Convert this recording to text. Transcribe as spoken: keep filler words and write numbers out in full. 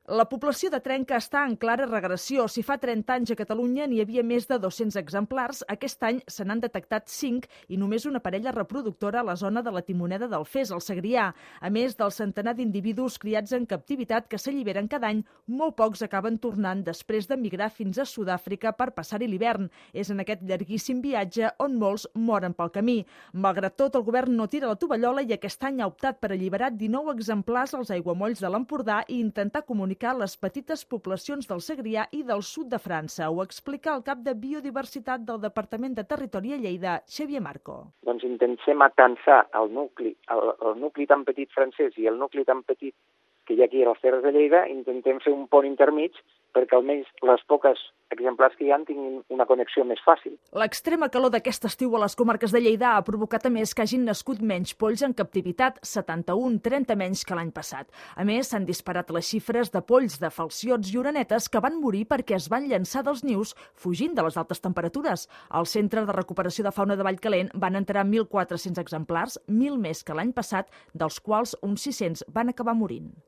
La població de trenca està en clara regressió. Si fa trenta anys a Catalunya n'hi havia més de dos-cents exemplars, aquest any se n'han detectat cinc i només una parella reproductora a la zona de la Timoneda del Fes, al Segrià. A més del centenar d'individus criats en captivitat que s'alliberen cada any, molt pocs acaben tornant després de migrar fins a Sud-àfrica per passar-hi l'hivern. És en aquest llarguíssim viatge on molts moren pel camí. Malgrat tot, el govern no tira la tovallola i aquest any ha optat per alliberar dinou exemplars als aiguamolls de l'Empordà i intentar comunicar les petites poblacions del Segrià i del sud de França. Ho explica el cap de Biodiversitat del Departament de Territori a Lleida, Xavier Marco. Doncs intentem atansar el nucli, el, el nucli tan petit francès i el nucli tan petit que hi ha aquí a les Terres de Lleida, intentem fer un pont intermig perquè almenys les poques exemplars que hi ha tinguin una connexió més fàcil. L'extrema calor d'aquest estiu a les comarques de Lleida ha provocat a més que hagin nascut menys polls en captivitat, setanta-un, trenta menys que l'any passat. A més, s'han disparat les xifres de polls de falciots i orenetes que van morir perquè es van llançar dels nius fugint de les altes temperatures. Al Centre de Recuperació de Fauna de Vallcalent van entrar mil quatre-cents exemplars, mil més que l'any passat, dels quals uns sis-cents van acabar morint.